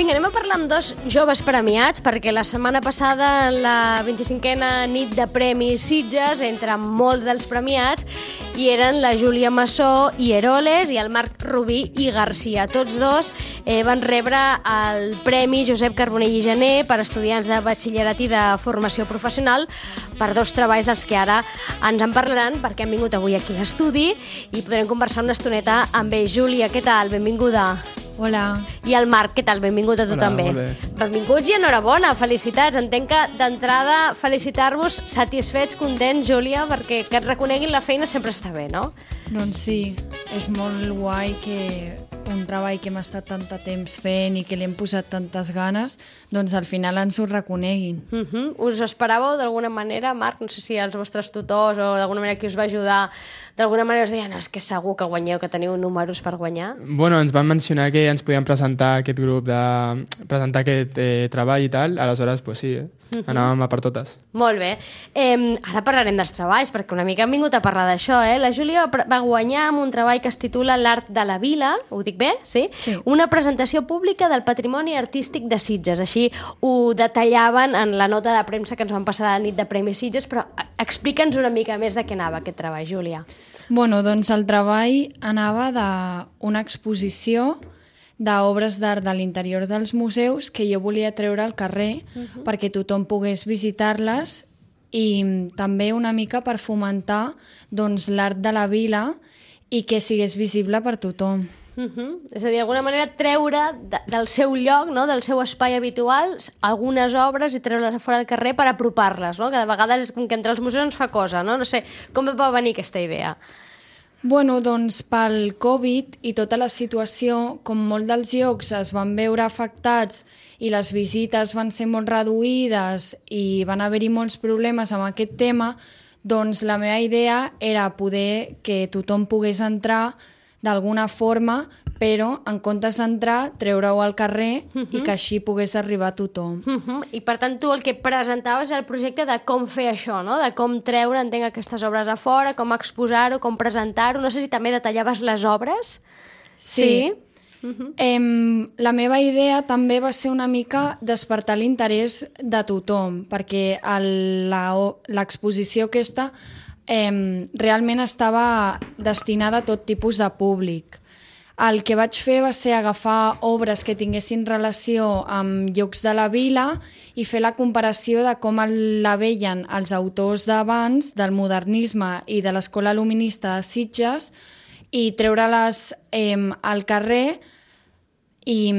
Vinga, anem a parlar amb dos joves premiats, perquè la setmana passada, la 25a nit de Premis Sitges, entre molts dels premiats, hi eren la Júlia Massó i Eroles i el Marc Rubí i Garcia. Tots dos van rebre el Premi Josep Carbonell i Gené per estudiants de batxillerat i de formació professional per dos treballs dels que ara ens en parlaran, perquè han vingut avui aquí a l'estudi i podrem conversar una estoneta amb ells. Júlia, què tal? Benvinguda. Hola. I el Marc, què tal? Benvingut a tu. Hola, també. Molt bé. Benvinguts i enhorabona, felicitats. Entenc que d'entrada felicitar-vos, satisfets, contents, Júlia, perquè que et reconeguin la feina sempre està bé, no? Doncs sí, és molt guai que un treball que hem estat tant de temps fent i que li hem posat tantes ganes, doncs al final ens ho reconeguin. Us ho esperàveu d'alguna manera, Marc? No sé si els vostres tutors o d'alguna manera qui us va ajudar, d'alguna manera us deien, és que segur que guanyeu, que teniu números per guanyar. Bueno, ens van mencionar que ens podien presentar aquest grup, presentar aquest treball i tal, aleshores, pues sí, anàvem a per totes. Molt bé. Ara parlarem dels treballs, perquè una mica hem vingut a parlar d'això, eh? La Júlia va guanyar amb un treball que es titula L'art de la vila, ho dic bé? Sí? Sí. Una presentació pública del patrimoni artístic de Sitges. Així ho detallaven en la nota de premsa que ens van passar a la nit de Premis Sitges, però explica'ns una mica més de què anava aquest treball, Júlia. Bueno, doncs el treball anava d'una exposició d'obres d'art de l'interior dels museus que jo volia treure al carrer perquè tothom pogués visitar-les i també una mica per fomentar doncs, l'art de la vila i que sigués visible per tothom. És a dir, d'alguna manera treure del seu lloc, no? Del seu espai habitual, algunes obres i treure-les a fora del carrer per apropar-les, no? Que de vegades és com que entre els museus ens fa cosa, no? No sé, com et va venir aquesta idea? Bueno, doncs pel Covid i tota la situació, com molts dels llocs es van veure afectats i les visites van ser molt reduïdes i van haver-hi molts problemes amb aquest tema, doncs la meva idea era poder que tothom pogués entrar d'alguna forma, però en comptes d'entrar, treure-ho al carrer i que així pogués arribar a tothom. I per tant tu el que presentaves era el projecte de com fer això, no? De com treure, entenc, aquestes obres a fora, com exposar-ho, com presentar-ho. No sé si també detallaves les obres. Sí. La meva idea també va ser una mica despertar l'interès de tothom, perquè l'exposició aquesta realment estava destinada a tot tipus de públic. El que vaig fer va ser agafar obres que tinguessin relació amb llocs de la vila i fer la comparació de com la veien els autors d'abans, del modernisme i de l'escola luminista de Sitges, i treure-les al carrer i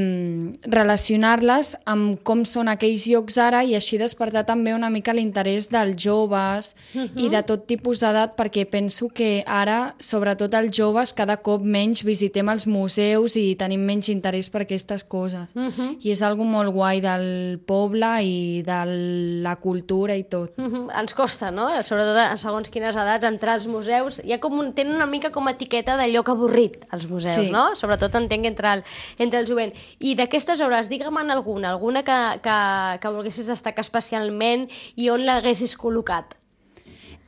relacionar-les amb com són aquells llocs ara i així despertar també una mica l'interès dels joves i de tot tipus d'edat, perquè penso que ara, sobretot els joves, cada cop menys visitem els museus i tenim menys interès per aquestes coses. I és algo molt guai del poble i de la cultura i tot. Ens costa, no? Sobretot a segons quines edats entrar als museus. Hi ha tenen una mica com a etiqueta de lloc avorrit, els museus, no? Sobretot entenc entre el jovent. I d'aquestes obres, digue'm alguna que volguessis destacar especialment i on l'haguessis col·locat?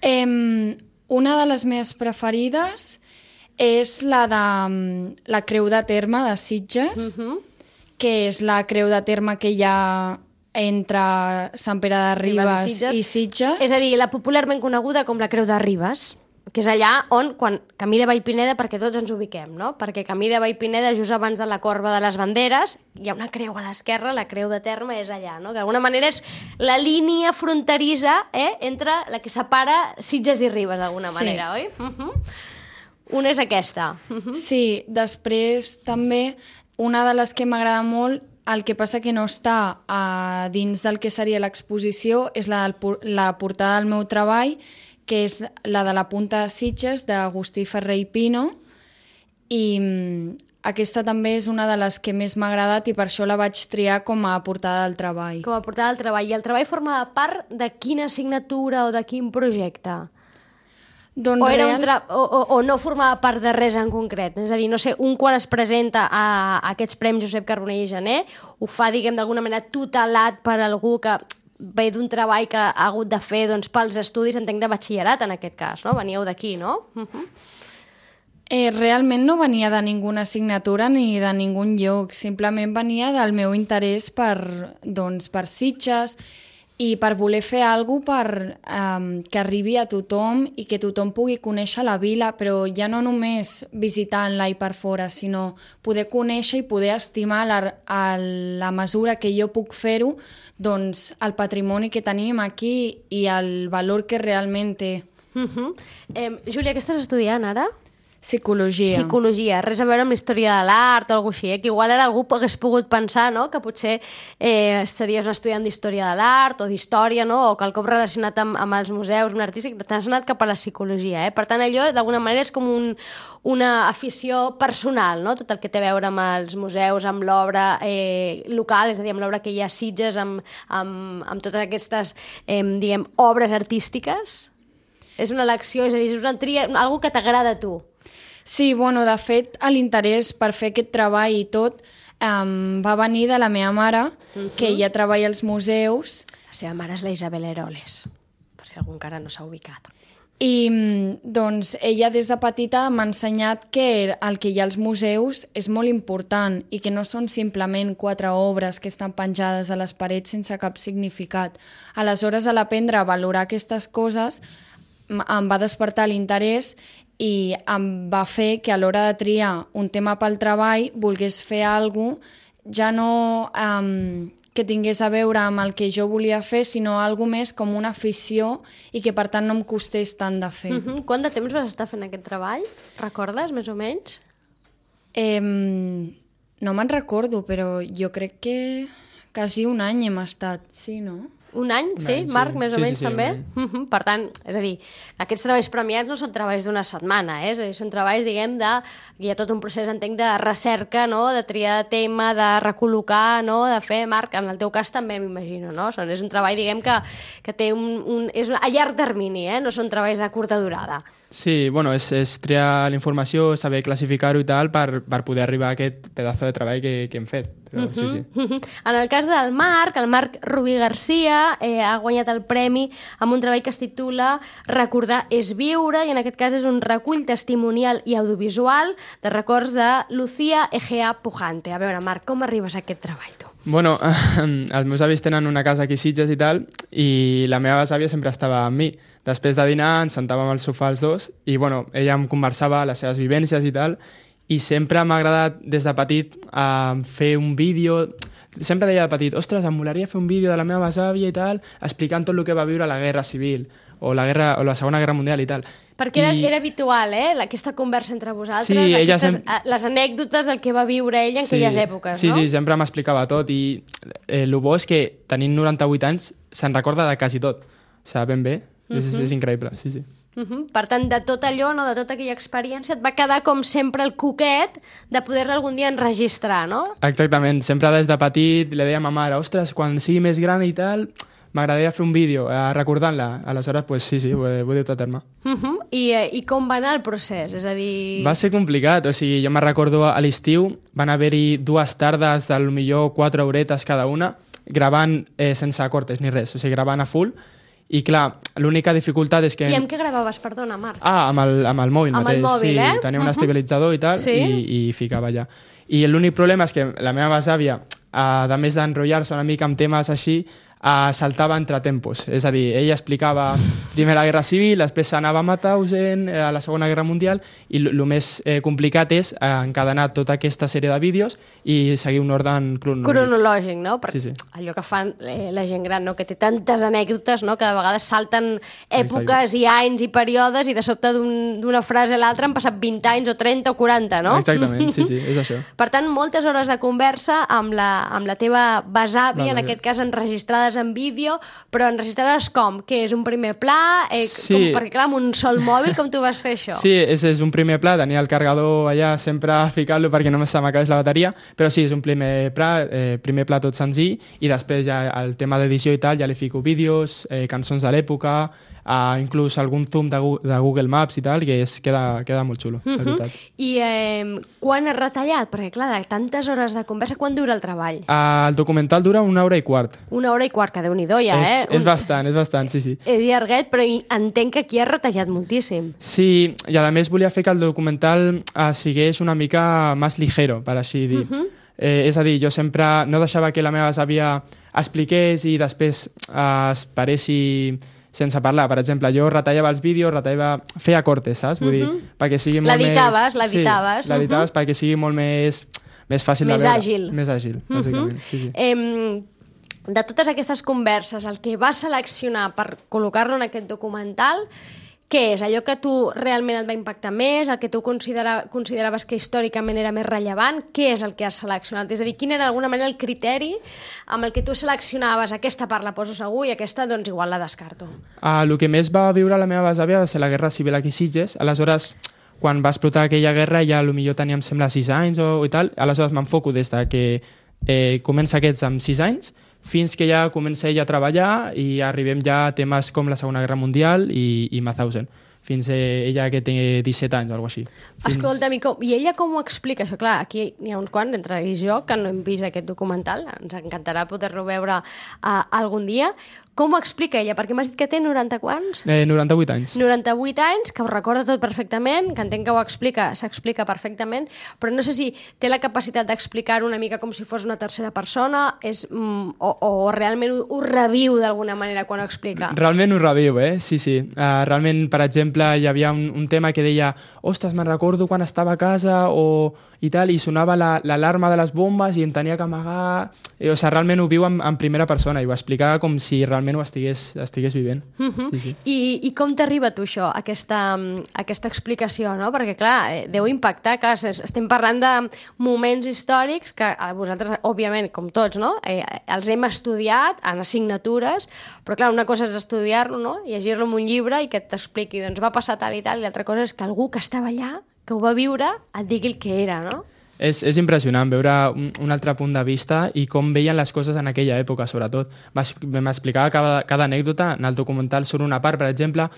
Una de les meves preferides és la de la Creu de Terme de Sitges, que és la creu de terme que hi ha entre Sant Pere de Ribes i Sitges. És a dir, la popularment coneguda com la Creu de Ribes, que és allà on, quan Camí de Vallpineda, perquè tots ens ubiquem, no? Perquè Camí de Vallpineda, just abans de la corba de les banderes, hi ha una creu a l'esquerra, la Creu de Terme és allà, no? Que d'alguna manera és la línia fronterissa entre la que separa Sitges i Ribes, d'alguna manera, oi? Una és aquesta. Sí, després també una de les que m'agrada molt, el que passa que no està dins del que seria l'exposició, és la portada del meu treball, que és la de la Punta de Sitges, d'Agustí Ferrer i Pino, i aquesta també és una de les que més m'ha agradat i per això la vaig triar com a portada del treball. Com a portada del treball. I el treball formava part de quina assignatura o de quin projecte? Doncs o no formava part de res en concret? És a dir, no sé, un quan es presenta a aquests Premis Josep Carbonell i Gené ho fa, diguem, d'alguna manera tutelat per algú que ve d'un treball que ha hagut de fer pels estudis, entenc, de batxillerat en aquest cas, no? Veníeu d'aquí, no? Realment no venia de ninguna assignatura ni de ningun lloc, simplement venia del meu interès per Sitges i per voler fer alguna cosa que arribi a tothom i que tothom pugui conèixer la vila, però ja no només visitant-la i per fora, sinó poder conèixer i poder estimar a la mesura que jo puc fer-ho, doncs el patrimoni que tenim aquí i el valor que realment té. Júlia, què estàs estudiant ara? Psicologia. Psicologia, res a veure amb la història de l'art o alguna cosa així, que igual ara algú hagués pogut pensar, no?, que potser series un estudiant d'història de l'art o d'història, no?, o quelcom relacionat amb els museus, amb l'artístic, t'has anat cap a la psicologia, Per tant, allò, d'alguna manera, és com una afició personal, no?, tot el que té a veure amb els museus, amb l'obra local, és a dir, amb l'obra que hi ha a Sitges, amb totes aquestes, diguem, obres artístiques. És una elecció, és a dir, és una tria, algo que t'agrada a tu. Sí, bueno, de fet, l'interès per fer aquest treball i tot va venir de la meva mare, que ella treballa als museus. La seva mare és la Isabel Eroles, per si algú encara no s'ha ubicat. I doncs ella des de petita m'ha ensenyat que el que hi ha als museus és molt important i que no són simplement 4 obres que estan penjades a les parets sense cap significat. Aleshores, a l'aprendre a valorar aquestes coses, em va despertar l'interès i em va fer que a l'hora de triar un tema pel treball volgués fer alguna cosa ja no que tingués a veure amb el que jo volia fer, sinó alguna més com una afició i que per tant no em costés tant de fer. Quant de temps vas estar fent aquest treball? Recordes, més o menys? No me'n recordo, però jo crec que quasi un any hem estat, sí, no? Un any, sí? Marc, més o menys, també? Per tant, és a dir, aquests treballs premiats no són treballs d'una setmana, és a dir, són treballs, diguem, hi ha tot un procés, entenc, de recerca, no?, de triar de tema, de recol·locar, no?, de fer, Marc, en el teu cas també m'imagino, no? És un treball, diguem, que té és a llarg termini, no són treballs de curta durada. Sí, bueno, és triar la informació, saber classificar-ho i tal per poder arribar a aquest pedazo de treball que hem fet. Però, sí. En el cas del Marc, el Marc Rubí Garcia ha guanyat el premi amb un treball que es titula Recordar és viure, i en aquest cas és un recull testimonial i audiovisual de records de Lucía Egea Pujante. A veure, Marc, com arribes a aquest treball, tu? Bueno, els meus avis tenen una casa aquí a Sitges i tal, i la meva besàvia sempre estava amb mi. Després de dinar ens sentàvem al sofà els dos i bueno, ella em conversava les seves vivències i tal, i sempre m'ha agradat des de petit fer un vídeo. Sempre deia de petit, ostres, em molaria fer un vídeo de la meva besàvia i tal, explicant tot el que va viure a la Guerra Civil o la Segona Guerra Mundial i tal. Perquè era habitual, aquesta conversa entre vosaltres, sí, les anècdotes del que va viure ella en aquelles èpoques, no? Sí, sempre m'explicava tot, i el bo és que tenint 98 anys se'n recorda de quasi tot. O sigui, ben bé, és increïble, sí. Per tant, de tot allò, no, de tota aquella experiència, et va quedar com sempre el coquet de poder-la algun dia enregistrar, no? Exactament, sempre des de petit li deia a ma mare, ostres, quan sigui més gran i tal, m'agradaria fer un vídeo recordant-la. Aleshores, pues, sí, ho he dut a terme. I com va anar el procés? És a dir... Va ser complicat, o sigui, jo me'n recordo a l'estiu, van haver-hi 2 tardes, potser 4 horetes cada una, gravant sense cortes ni res, o sigui, gravant a full. I clar, l'única dificultat és que... I amb què gravaves, perdona, Marc? Amb el mòbil mateix. Amb el mòbil, sí, tenia un estabilitzador i tal, i ficava allà. I l'únic problema és que la meva besàvia, a més d'enrotllar-se una mica amb temes així, saltava entre tempos. És a dir, ella explicava primer la Guerra Civil, després s'anava a Mauthausen, a la Segona Guerra Mundial, i el més complicat és encadenar tota aquesta sèrie de vídeos i seguir un ordre cronològic, no? Sí. Allò que fan la gent gran, no? Que té tantes anècdotes, no? Que de vegades salten èpoques i anys i períodes i de sobte d'una frase a l'altra han passat 20 anys o 30 o 40, no? Exactament, sí, és això. Per tant, moltes hores de conversa amb la teva besàvia, en aquest cas enregistrades en vídeo, però enregistrades com? Que és un primer pla? Sí. Perquè clar, amb un sol mòbil, com tu vas fer això? Sí, és un primer pla, tenia el carregador allà sempre ficant-lo perquè només se m'acabés la bateria, però sí, és un primer pla tot senzill, i després ja el tema d'edició i tal, ja li fico vídeos, cançons de l'època, inclús algun zoom de Google Maps i tal, que queda molt xulo, la veritat. I quan has retallat? Perquè, clar, de tantes hores de conversa, quan dura el treball? El documental dura 1 hora i quart. 1 hora i quart, que Déu-n'hi-do ja, És bastant, sí. He llarguet, però entenc que aquí has retallat moltíssim. Sí, i a més volia fer que el documental sigués una mica més ligero, per així dir. És a dir, jo sempre no deixava que la meva àvia expliqués i després es paressi sense parlar. Per exemple, jo retallava els vídeos, feia cortes, saps? Vull dir, perquè sigui molt l'editaves. Sí, l'editaves perquè sigui molt més fàcil de veure. Més àgil, bàsicament. Sí. De totes aquestes converses, el que vas seleccionar per col·locar-lo en aquest documental, què és? Allò que tu realment et va impactar més, el que tu consideraves que històricament era més rellevant? Què és el que has seleccionat? És a dir, quin era d'alguna manera el criteri amb el que tu seleccionaves aquesta part la poso segur i aquesta doncs igual la descarto? El que més va viure la meva besàvia va ser la Guerra Civil aquí a Sitges. Aleshores, quan va explotar aquella guerra ja potser teníem, sembla, 6 anys i tal. Aleshores m'enfoco des de que comença aquests amb 6 anys fins que ja comença ella a treballar i arribem ja a temes com la Segona Guerra Mundial i Mauthausen, fins ella que té 17 anys o alguna cosa així. Escolta'm, i ella com ho explica això? Clar, aquí n'hi ha uns quants, entre ells jo, que no hem vist aquest documental, ens encantarà poder-lo veure algun dia. Com ho explica ella? Perquè m'has dit que té 90 quants? 98 anys. 98 anys, que ho recorda tot perfectament, que entenc que s'explica perfectament, però no sé si té la capacitat d'explicar una mica com si fos una tercera persona o realment ho reviu d'alguna manera quan ho explica. Realment ho reviu, sí. Realment, per exemple, hi havia un tema que deia ostres, me'n recordo quan estava a casa i tal, i sonava l'alarma de les bombes i em tenia que amagar. O sigui, realment ho viu en primera persona i ho explicava com si realment ho estigués vivint. Sí. I com t'arriba a tu això, aquesta explicació, no? Perquè, clar, deu impactar. Clar, estem parlant de moments històrics que vosaltres, òbviament, com tots, no? Els hem estudiat en assignatures, però, clar, una cosa és estudiar-lo, no? Llegir-lo en un llibre i que t'expliqui, doncs va passar tal i tal, i l'altra cosa és que algú que estava allà, que ho va viure, et digui el que era, no? És impressionant veure un altre punt de vista i com veien les coses en aquella època, sobretot. M'explicava cada anècdota. En el documental surt una part, per exemple,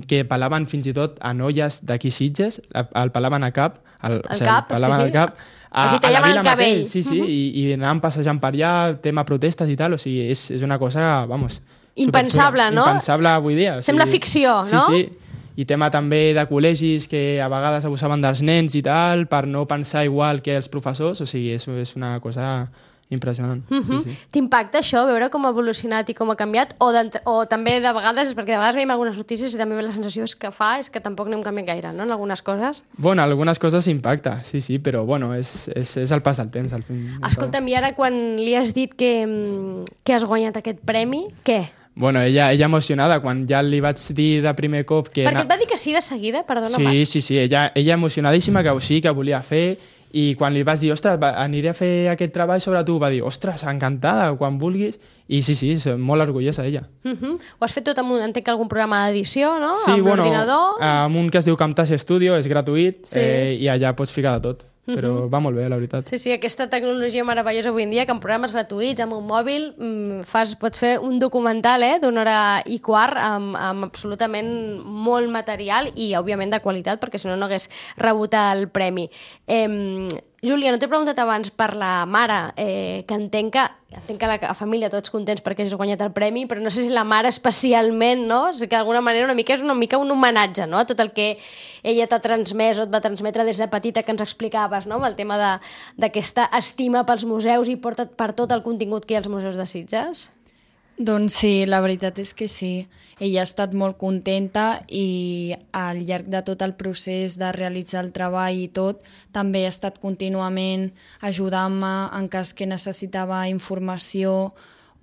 que pelaven fins i tot a noies d'aquí Sitges, el pelaven a cap, al cap. A la vila mateix, sí, i anaven passejant per allà, tema protestes i tal, o sigui, és una cosa, vamos... Impensable, no? Impensable avui dia. Sembla ficció, no? Sí. I tema també de col·legis que a vegades abusaven dels nens i tal, per no pensar igual que els professors, o sigui, és una cosa impressionant. Sí. T'impacta això, veure com ha evolucionat i com ha canviat? O també de vegades, perquè de vegades veiem algunes notícies i també la sensació és que tampoc no hem canviat gaire, no?, en algunes coses? Bueno, algunes coses impacta, sí, però bueno, és el pas del temps, al fin. Escolta'm, i ara quan li has dit que has guanyat aquest premi, què? Bueno, ella emocionada, quan ja li vaig dir de primer cop que... Perquè et va dir que sí de seguida, perdona. Sí, ella emocionadíssima que sí, que volia fer, i quan li vas dir, ostres, aniré a fer aquest treball sobre tu, va dir, ostres, encantada, quan vulguis, i sí, molt orgullosa ella. Ho has fet tot entenc que algun programa d'edició, no? Sí, amb l'ordinador? amb un que es diu Camtasia Studio, és gratuït, i allà pots ficar de tot. Però va molt bé, la veritat. Sí, aquesta tecnologia meravellosa avui en dia, que en programes gratuïts, amb un mòbil, pots fer un documental d'1 hora i quart amb absolutament molt material i, òbviament, de qualitat, perquè si no hagués rebut el premi. Júlia, no t'he preguntat abans per la mare, que entenc que la família tots contents perquè has guanyat el premi, però no sé si la mare especialment, no? O sigui que d'alguna manera és una mica un homenatge, no?, a tot el que ella t'ha transmès o et va transmetre des de petita, que ens explicaves, no?, amb el tema d'aquesta estima pels museus i per tot el contingut que hi ha als museus de Sitges. Doncs sí, la veritat és que sí. Ella ha estat molt contenta i al llarg de tot el procés de realitzar el treball i tot, també ha estat contínuament ajudant-me en cas que necessitava informació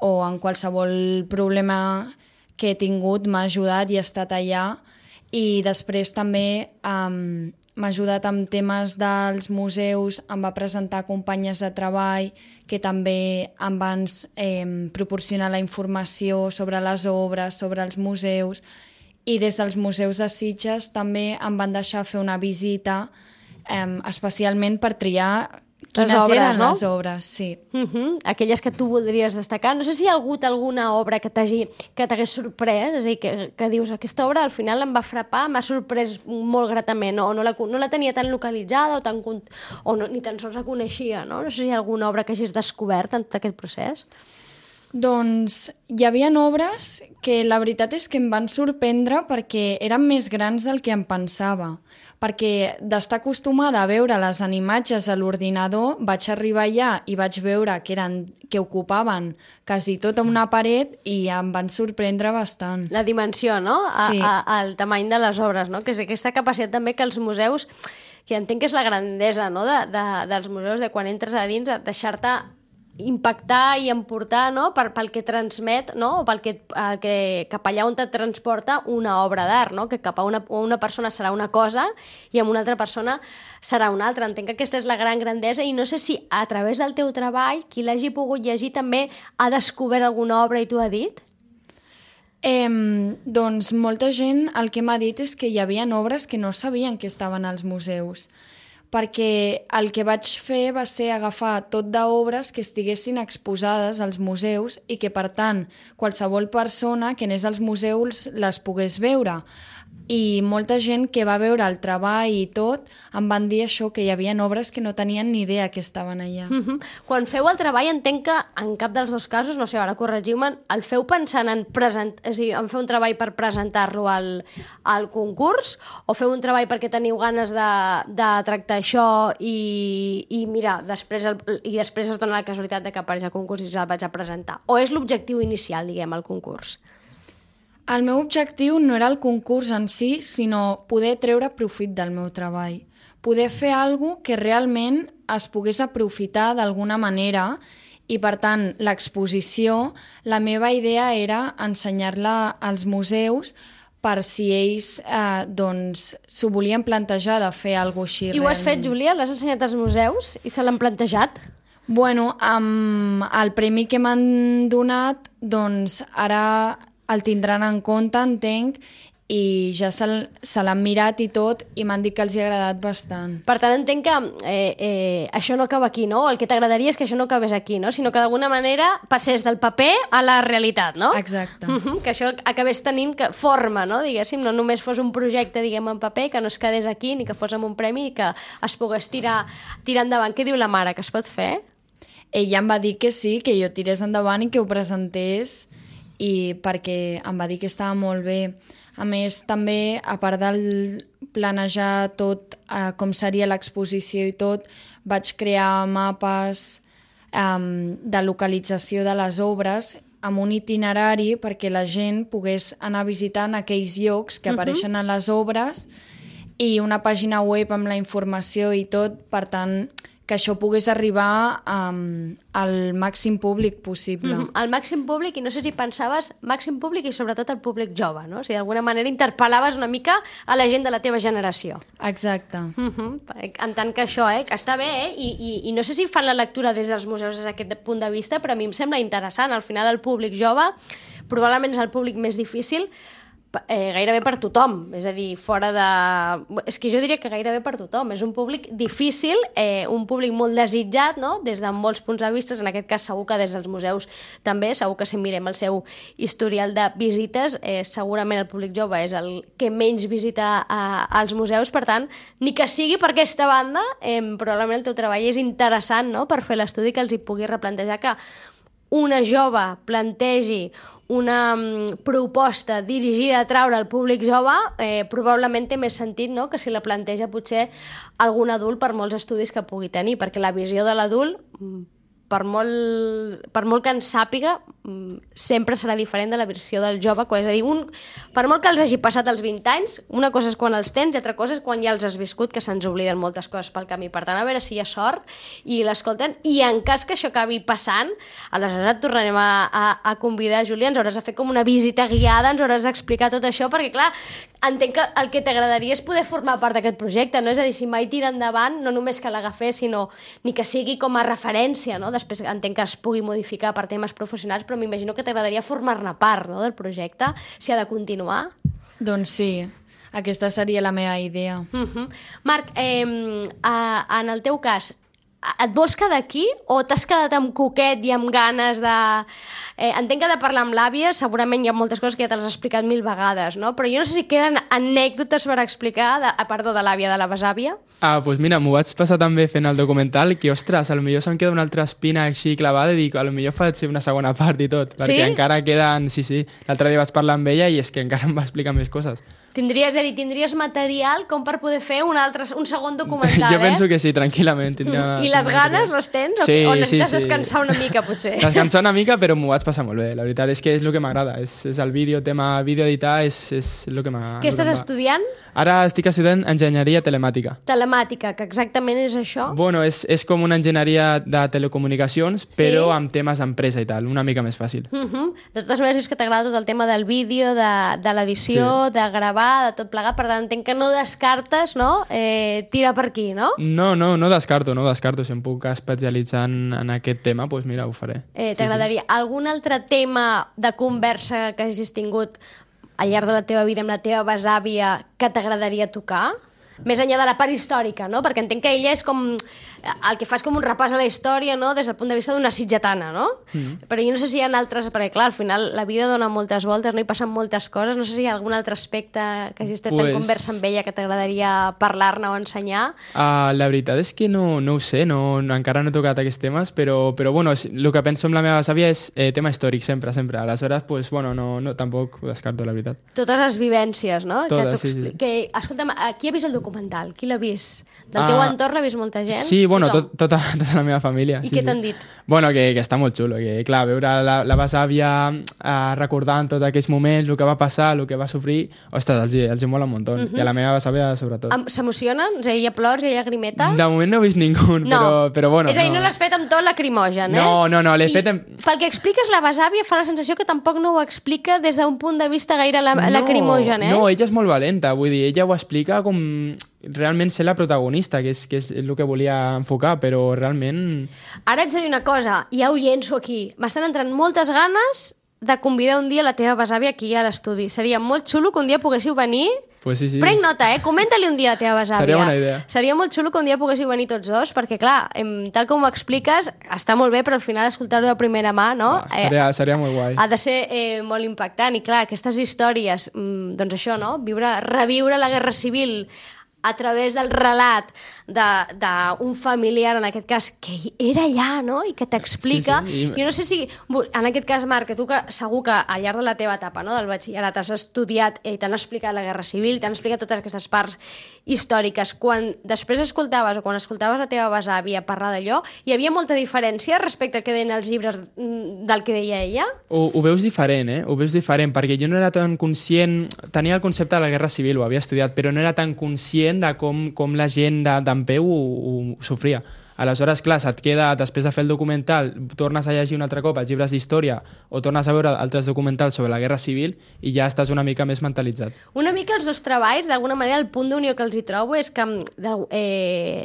o en qualsevol problema que he tingut m'ha ajudat i ha estat allà. I després també m'ha ajudat amb temes dels museus, em va presentar companyes de treball que també em van proporcionar la informació sobre les obres, sobre els museus, i des dels museus de Sitges també em van deixar fer una visita especialment per triar Quines obres, eren no? les obres, sí. Aquelles que tu voldries destacar. No sé si hi ha hagut alguna obra que t'hagués sorprès, és a dir, que dius, aquesta obra al final em va frapar, m'ha sorprès molt gratament, o no la tenia tan localitzada o no, ni tan sols la coneixia, no? No sé si hi ha alguna obra que hagis descobert en tot aquest procés. Doncs hi havia obres que la veritat és que em van sorprendre perquè eren més grans del que em pensava. Perquè d'estar acostumada a veure les imatges a l'ordinador, vaig arribar allà i vaig veure que ocupaven quasi tota una paret i em van sorprendre bastant. La dimensió, no? Sí. El tamany de les obres, no? Que és aquesta capacitat també que els museus, que entenc que és la grandesa, no? dels museus, de quan entres a dins, deixar-te impactar i emportar, no? Pel que transmet, no? O cap allà on et transporta una obra d'art, no? Que cap a una persona serà una cosa i amb una altra persona serà una altra. Entenc que aquesta és la gran grandesa i no sé si a través del teu treball qui l'hagi pogut llegir també ha descobert alguna obra i t'ho ha dit? Doncs molta gent el que m'ha dit és que hi havia obres que no sabien que estaven als museus, perquè el que vaig fer va ser agafar tot d'obres que estiguessin exposades als museus i que, per tant, qualsevol persona que anés als museus les pogués veure. I molta gent que va veure el treball i tot em van dir això, que hi havia obres que no tenien ni idea que estaven allà. Quan feu el treball, entenc que en cap dels dos casos, no sé, ara corregiu-me, el feu pensant en fer un treball per presentar-lo al concurs o feu un treball perquè teniu ganes de tractar això i mira, després es dona la casualitat de que apareix al concurs i el vaig a presentar? O és l'objectiu inicial, diguem, el concurs? El meu objectiu no era el concurs en si, sinó poder treure profit del meu treball. Poder fer alguna cosa que realment es pogués aprofitar d'alguna manera i, per tant, l'exposició, la meva idea era ensenyar-la als museus per si ells s'ho volien plantejar de fer alguna cosa així. I ho has fet, Júlia? L'has ensenyat als museus i se l'han plantejat? Bueno, amb el premi que m'han donat, doncs ara el tindran en compte, entenc, i ja se l'han mirat i tot, i m'han dit que els hi ha agradat bastant. Per tant, entenc que això no acaba aquí, no? El que t'agradaria és que això no acabés aquí, no? Sinó que d'alguna manera passés del paper a la realitat, no? Exacte. Que això acabés tenint forma, no? Diguéssim, no només fos un projecte, diguem, en paper, que no es quedés aquí, ni que fos amb un premi, i que es pogués tirar endavant. Què diu la mare, que es pot fer? Ella em va dir que sí, que jo tirés endavant i que ho presentés, i perquè em va dir que estava molt bé. A més, també, a part del planejar tot com seria l'exposició i tot, vaig crear mapes de localització de les obres amb un itinerari perquè la gent pogués anar visitant aquells llocs que apareixen a les obres i una pàgina web amb la informació i tot, per tant, que això pogués arribar al màxim públic possible. Al màxim públic, i no sé si pensaves màxim públic i sobretot al públic jove, no? O sigui, d'alguna manera interpel·laves una mica a la gent de la teva generació. Exacte. En tant que això, que està bé, i no sé si fan la lectura des dels museus des d'aquest punt de vista, però a mi em sembla interessant. Al final el públic jove probablement és el públic més difícil gairebé per tothom, és a dir, fora de... És que jo diria que gairebé per tothom, és un públic difícil, un públic molt desitjat, no? Des de molts punts de vista, en aquest cas segur que des dels museus també, segur que si mirem el seu historial de visites, segurament el públic jove és el que menys visita als museus, per tant, ni que sigui per aquesta banda, probablement el teu treball és interessant, no?, per fer l'estudi que els hi pugui replantejar que una jove plantegi una proposta dirigida a traure al públic jove, probablement té més sentit, no?, que si la planteja potser algun adult per molts estudis que pugui tenir, perquè la visió de l'adult, per molt que en sàpiga, sempre serà diferent de la visió del jove, és a dir, per molt que els hagi passat els 20 anys, una cosa és quan els tens i altra cosa és quan ja els has viscut, que se'ns obliden moltes coses pel camí. Per tant, a veure si hi ha sort i l'escolten, i en cas que això acabi passant, aleshores et tornarem a convidar, Júlia, ens hauràs de fer com una visita guiada, ens hauràs d'explicar tot això, perquè clar, entenc que el que t'agradaria és poder formar part d'aquest projecte, no? És a dir, si mai tira endavant, no només que l'agafés, sinó ni que sigui com a referència, no? Després entenc que es pugui modificar per temes professionals, però m'imagino que t'agradaria formar-ne part, no?, del projecte, si ha de continuar. Doncs sí, aquesta seria la meva idea. Marc, en el teu cas, et vols quedar aquí o t'has quedat amb coquet i amb ganes de... entenc que de parlar amb l'àvia segurament hi ha moltes coses que ja te les has explicat 1000 vegades, no? Però jo no sé si queden anècdotes per explicar, de l'àvia, de la besàvia. Doncs mira, m'ho vaig passar també fent el documental, que, ostres, potser se'm queda una altra espina així clavada i dic, potser faig una segona part i tot, perquè encara queden... Sí, l'altre dia vaig parlar amb ella i és que encara em va explicar més coses. Tindries material com per poder fer un segon documental, Jo penso que sí, tranquil·lament. I les ganes les tens? Sí, o necessites descansar una mica, potser? Descansar una mica, però m'ho vaig passar molt bé. La veritat és que és el que m'agrada. És el vídeo, tema vídeo editar, és el que m'agrada. Què estàs estudiant? Ara estic estudiant enginyeria telemàtica. Telemàtica, que exactament és això? Bueno, és com una enginyeria de telecomunicacions, però amb temes d'empresa i tal, una mica més fàcil. De totes maneres, és que t'agrada tot el tema del vídeo, de l'edició, de gravar, de tot plegat, per tant, entenc que no descartes, no? Tirar per aquí, no? No descarto. Si em puc especialitzar en aquest tema, doncs mira, ho faré. T'agradaria algun altre tema de conversa que hagis tingut al llarg de la teva vida amb la teva besàvia que t'agradaria tocar? Més enllà de la part històrica, no? Perquè entenc que ella és com... El que fa és com un repàs a la història, no? Des del punt de vista d'una sitgetana, no? Però jo no sé si hi ha altres... Perquè, clar, al final la vida dona moltes voltes, no? Hi passen moltes coses. No sé si hi ha algun altre aspecte que hagis estat en conversa amb ella que t'agradaria parlar-ne o ensenyar. La veritat és que no ho sé, encara no he tocat aquests temes, però bueno, el que penso amb la meva besàvia és tema històric, sempre. Aleshores, doncs, bueno, no, tampoc ho descarto, la veritat. Totes les vivències, no? Totes, sí. Escolta'm, qui ha vist el documental? Qui l'ha vist? Del teu entorn l'ha vist molta gent? Sí, bueno, tota la meva família. I què t'han dit? Bueno, que està molt xulo, que clar, veure la besàvia recordant tots aquells moments, el que va passar, el que va sofrir, ostres, els hi mola un muntó. I a la meva besàvia, sobretot. S'emocionen? És a dir, hi ha plors, hi ha lagrimeta? De moment no he vist ningú, però bueno. És a dir, no l'has fet amb tot lacrimogen, No, l'he fet amb... Pel que expliques, la besàvia fa la sensació que tampoc no ho explica des d'un punt de vista gaire lacrimogen, No, ella és molt valenta, vull dir, ella ho explica com realment ser la protagonista, que és el que volia enfocar, però realment... Ara ets de dir una cosa, ja ho llenço aquí. M'estan entrant moltes ganes de convidar un dia la teva besàvia aquí a l'estudi. Seria molt xulo que un dia poguéssiu venir... Pues sí. Prenc nota, comenta-li un dia a la teva besàvia. Seria bona idea. Seria molt xulo que un dia poguéssiu venir tots dos, perquè clar, tal com ho expliques, està molt bé, però al final escoltar-ho de primera mà, no? Seria molt guai. Ha de ser molt impactant. I clar, aquestes històries, doncs això, no? Reviure la Guerra Civil a través del relat d'un familiar, en aquest cas, que era allà, no? I que t'explica. Sí. Jo no sé si, en aquest cas, Marc, que tu segur que al llarg de la teva etapa, no?, del batxillerat has estudiat i t'han explicat la Guerra Civil, t'han explicat totes aquestes parts històriques. Quan després escoltaves la teva besàvia parlar d'allò, hi havia molta diferència respecte al que deien els llibres del que deia ella? Ho veus diferent, Ho veus diferent, perquè jo no era tan conscient... Tenia el concepte de la Guerra Civil, ho havia estudiat, però no era tan conscient de com la gent d'en peu ho sofria. Aleshores, clar, se't queda, després de fer el documental, tornes a llegir un altre cop els llibres d'història o tornes a veure altres documentals sobre la Guerra Civil i ja estàs una mica més mentalitzat. Una mica els dos treballs, d'alguna manera, el punt d'unió que els hi trobo és que,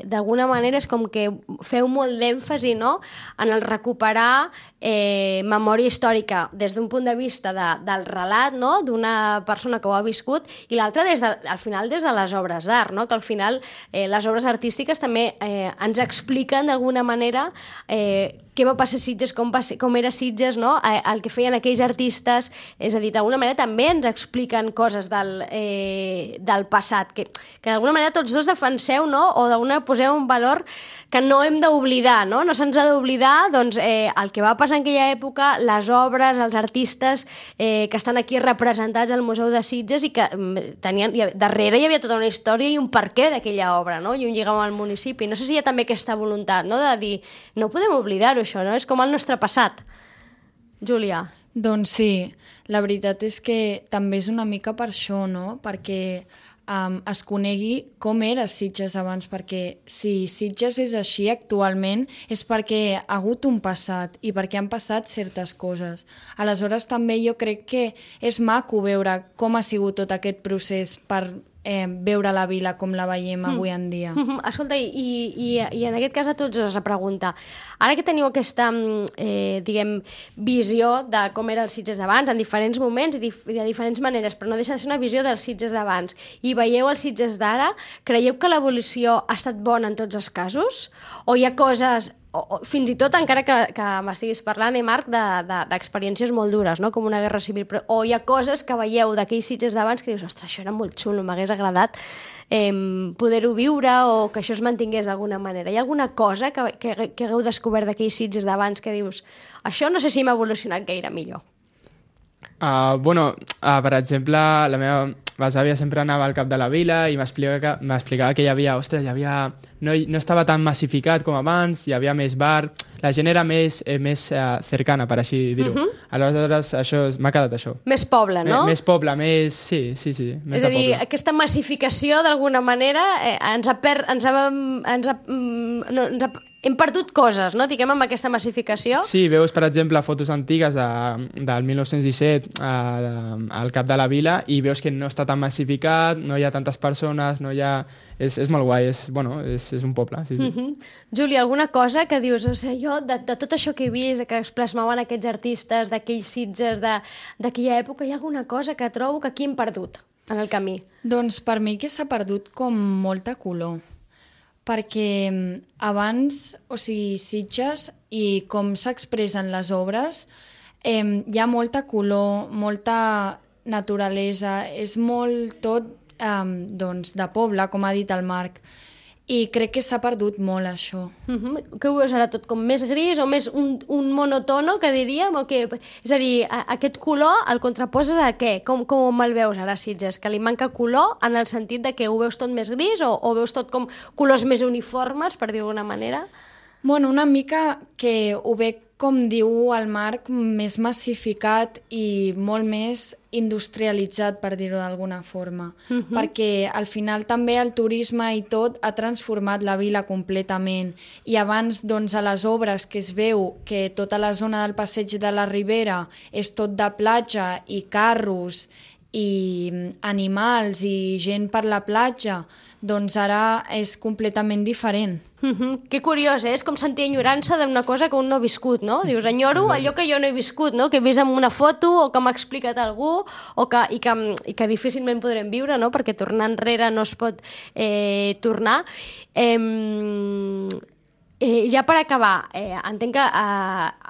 d'alguna manera, és com que feu molt d'èmfasi, no?, en el recuperar memòria històrica des d'un punt de vista del relat, no?, d'una persona que ho ha viscut, i l'altra, al final, des de les obres d'art, no?, que al final les obres artístiques també ens expliquen d'alguna manera què va passar a Sitges, com era Sitges, no? El que feien aquells artistes, és a dir, d'alguna manera també ens expliquen coses del passat, que d'alguna manera tots dos defenseu, no?, o d'alguna poseu un valor que no hem d'oblidar, no? No se'ns ha d'oblidar, doncs, el que va passar en aquella època, les obres, els artistes que estan aquí representats al Museu de Sitges i que darrere hi havia tota una història i un perquè d'aquella obra, no?, i un lligam al municipi. No sé si hi ha també aquesta voluntat, no?, de dir, no podem oblidar-ho, això, no? És com el nostre passat. Júlia. Doncs sí, la veritat és que també és una mica per això, no? Perquè es conegui com era Sitges abans, perquè si Sitges és així actualment és perquè ha hagut un passat i perquè han passat certes coses. Aleshores també jo crec que és maco veure com ha sigut tot aquest procés per veure la vila com la veiem avui en dia. Escolta, i en aquest cas a tots us la pregunta. Ara que teniu aquesta, visió de com era el Sitges d'abans, en diferents moments i de diferents maneres, però no deixa de ser una visió dels Sitges d'abans, i veieu el Sitges d'ara, creieu que l'evolució ha estat bona en tots els casos? O hi ha coses, o fins i tot, encara que m'estiguis parlant, Marc, d'experiències molt dures, no? Com una guerra civil, però, o hi ha coses que veieu d'aquells Sitges d'abans que dius, ostres, això era molt xulo, m'hagués agradat poder-ho viure o que això es mantingués d'alguna manera. Hi ha alguna cosa que hagueu descobert d'aquells Sitges d'abans que dius, això no sé si m'ha evolucionat gaire millor? Per exemple, la meva besàvia sempre anava al cap de la vila i m'explicava que hi havia, no estava tan massificat com abans, hi havia més bar, la gent era més cercana, per així dir-ho. Aleshores, m'ha quedat això. Més poble, no? Més poble, sí, més de poble. És a dir, aquesta massificació, d'alguna manera, hem perdut coses, no? Diguem, amb aquesta massificació. Sí, veus, per exemple, fotos antigues del 1917 al cap de la vila i veus que no està tan massificat, no hi ha tantes persones, no hi ha... És molt guai, és un poble. Sí. Júlia, alguna cosa que dius, jo, de tot això que he vist, que es plasmaven aquests artistes, d'aquells Sitges d'aquella època, hi ha alguna cosa que trobo que aquí hem perdut en el camí? Doncs per mi que s'ha perdut com molta color. Perquè abans, Sitges i com s'expressen les obres, hi ha molta color, molta naturalesa, és molt tot de poble, com ha dit el Marc, i crec que s'ha perdut molt això. Què ho veus ara, tot com més gris o més un monotono, que diríem? És a dir, aquest color el contraposes a què? Com el veus ara, Sitges? Que li manca color en el sentit de que ho veus tot més gris o veus tot com colors més uniformes, per dir-ho d'alguna manera? Bueno, una mica que ho veig, com diu el Marc, més massificat i molt més industrialitzat, per dir-ho d'alguna forma. Perquè al final també el turisme i tot ha transformat la vila completament. I abans, doncs, a les obres que es veu que tota la zona del passeig de la Ribera és tot de platja i carros i animals i gent per la platja, doncs ara és completament diferent. Que curiós, és com sentir enyorança d'una cosa que un no ha viscut, no? Dius, enyoro allò que jo no he viscut, no? Que he vist en una foto o que m'ha explicat algú i que difícilment podrem viure, no? Perquè tornar enrere no es pot tornar. Ja per acabar, entenc que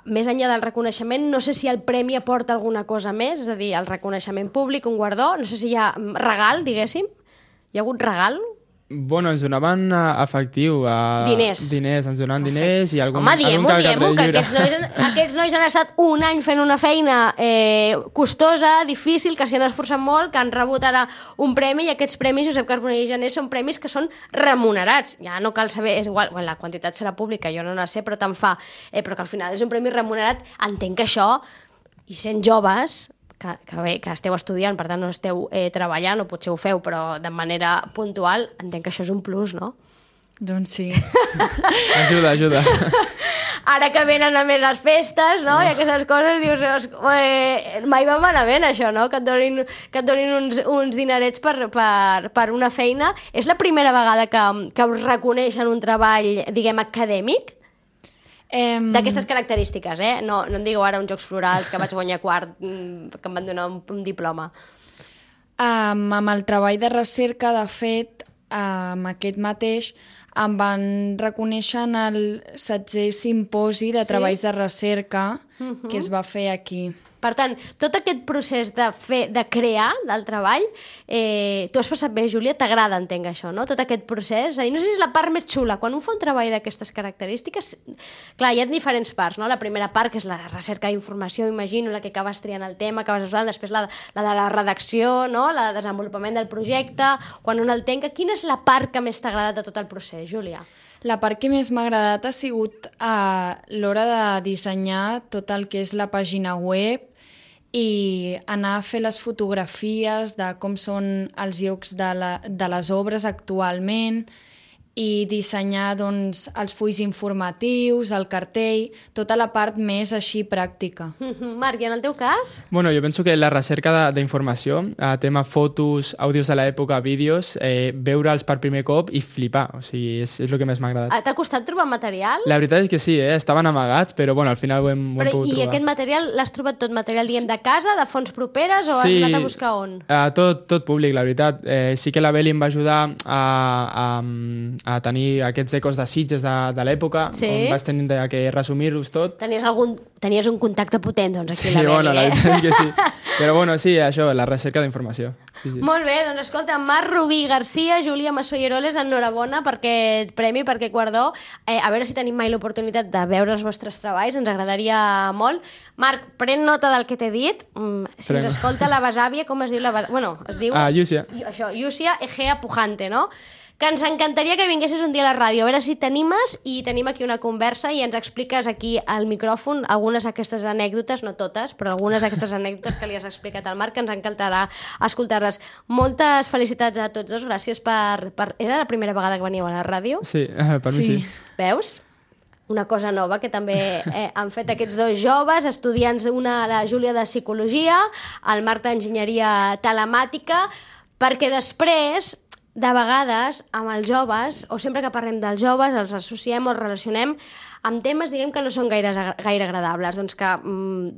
més enllà del reconeixement, no sé si el premi aporta alguna cosa més, és a dir, el reconeixement públic, un guardó, no sé si hi ha regal, diguéssim. Hi ha hagut regal? Bueno, ens donaven efectiu. Diners. Ens donaven diners i algun... Home, diem-ho, que aquests nois han estat un any fent una feina costosa, difícil, que s'hi han esforçat molt, que han rebut ara un premi, i aquests premis, Josep Carbonell i Jané, són premis que són remunerats. Ja no cal saber, és igual, la quantitat serà pública, jo no la sé, però tant fa. Però que al final és un premi remunerat. Entenc que això, i sent joves... que esteu estudiant, per tant no esteu treballant, o potser ho feu, però de manera puntual, entenc que això és un plus, no? Doncs sí. Ajuda. Ara que venen a més les festes, no? I aquestes coses, dius, mai va malament això, no? Que et donin uns dinerets per una feina. És la primera vegada que us reconeixen un treball, diguem, acadèmic? D'aquestes característiques, no em digueu ara uns Jocs Florals que vaig guanyar quart, que em van donar un diploma. Amb el treball de recerca, de fet, amb aquest mateix, em van reconèixer en el 7è simposi de treballs de recerca que es va fer aquí. Per tant, tot aquest procés de crear del treball, tu has passat bé, Júlia, t'agrada, entenc això, no? Tot aquest procés, és a dir, no sé si és la part més xula. Quan un fa un treball d'aquestes característiques, clar, hi ha diferents parts, no? La primera part, que és la recerca d'informació, imagino, la que acabes triant el tema, acabes estudiant, després la de la redacció, no? La de desenvolupament del projecte, quan un el tenca. Quina és la part que més t'ha agradat de tot el procés, Júlia? La part que més m'ha agradat ha sigut a l'hora de dissenyar tot el que és la pàgina web i anar a fer les fotografies de com són els llocs de les obres actualment i dissenyar doncs, els fulls informatius, el cartell, tota la part més així pràctica. Marc, i en el teu cas? Bueno, jo penso que la recerca d'informació, tema fotos, àudios de l'època, vídeos, veure'ls per primer cop i flipar. O sigui, és el que més m'ha agradat. T'ha costat trobar material? La veritat és que sí, estaven amagats, però bueno, al final ho hem pogut trobar. I aquest material l'has trobat tot material, diguem, de casa, de fonts properes, o has anat a buscar on? Tot públic, la veritat. Sí que la Beli em va ajudar a tenir aquests ecos de Sitges de l'època, on vaig tenir que resumir-los tot. Tenies un contacte potent, doncs, aquí, la Beli, bueno, la veritat que sí. Però bueno, sí, això, la recerca d'informació. Sí. Molt bé, doncs escolta, Marc Rubí Garcia, Júlia Massó i Eroles, enhorabona per aquest premi, per aquest guardó. A veure si tenim mai l'oportunitat de veure els vostres treballs, ens agradaria molt. Marc, pren nota del que t'he dit. Si ens escolta la besàvia, com es diu la besàvia? Bueno, es diu... Llúcia. Això, Llúcia Egea Pujante, no? Que ens encantaria que vinguessis un dia a la ràdio, a veure si t'animes i tenim aquí una conversa i ens expliques aquí al micròfon algunes d'aquestes anècdotes, no totes, però algunes d'aquestes anècdotes que li has explicat al Marc, que ens encantarà escoltar-les. Moltes felicitats a tots dos, gràcies per... Era la primera vegada que veníeu a la ràdio? Sí, per mi sí. Veus? Una cosa nova que també han fet aquests dos joves, estudiants, una la Júlia de Psicologia, el Marc d'Enginyeria Telemàtica, perquè després... De vegades, amb els joves, o sempre que parlem dels joves, els associem o els relacionem amb temes, diguem, que no són gaire agradables. Doncs que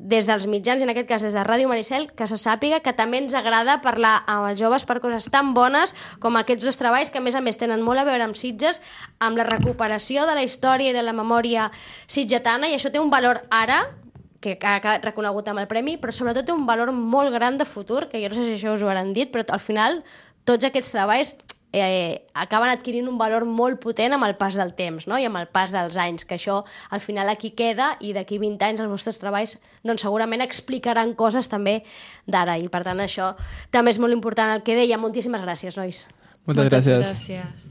des dels mitjans, i en aquest cas des de Ràdio Maricel, que se sàpiga que també ens agrada parlar amb els joves per coses tan bones com aquests dos treballs, que a més tenen molt a veure amb Sitges, amb la recuperació de la història i de la memòria sitgetana, i això té un valor ara, que ha quedat reconegut amb el premi, però sobretot té un valor molt gran de futur, que jo no sé si això us ho hauran dit, però al final tots aquests treballs acaben adquirint un valor molt potent amb el pas del temps, no? I amb el pas dels anys, que això al final aquí queda, i d'aquí 20 anys els vostres treballs doncs segurament explicaran coses també d'ara, i per tant això també és molt important el que deia. Moltíssimes gràcies, nois. Moltes gràcies. Gràcies.